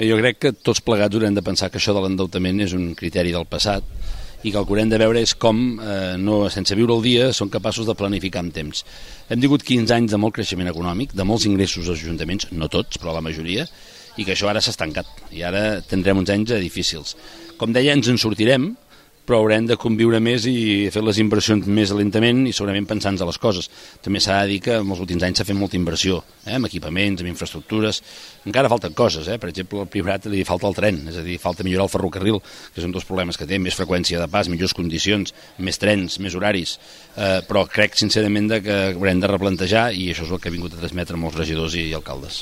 Jo crec que tots plegats haurem de pensar que això de l'endeutament és un criteri del passat i que el que haurem de veure és com, sense viure el dia, són capaços de planificar amb temps. Hem tingut 15 anys de molt creixement econòmic, de molts ingressos als ajuntaments, no tots, però la majoria, i que això ara s'ha estancat, i ara tindrem uns anys difícils. Com deia, ens en sortirem, però haurem de conviure més i fer les inversions més lentament i segurament pensant a les coses. També s'ha de dir que en els últims anys s'ha fet molta inversió, en equipaments, en infraestructures. Encara falten coses, per exemple, al Priorat li falta el tren, és a dir, falta millorar el ferrocarril, que són dos problemes que té, més freqüència de pas, millors condicions, més trens, més horaris, però crec sincerament que haurem de replantejar i això és el que ha vingut a transmetre molts regidors i alcaldes.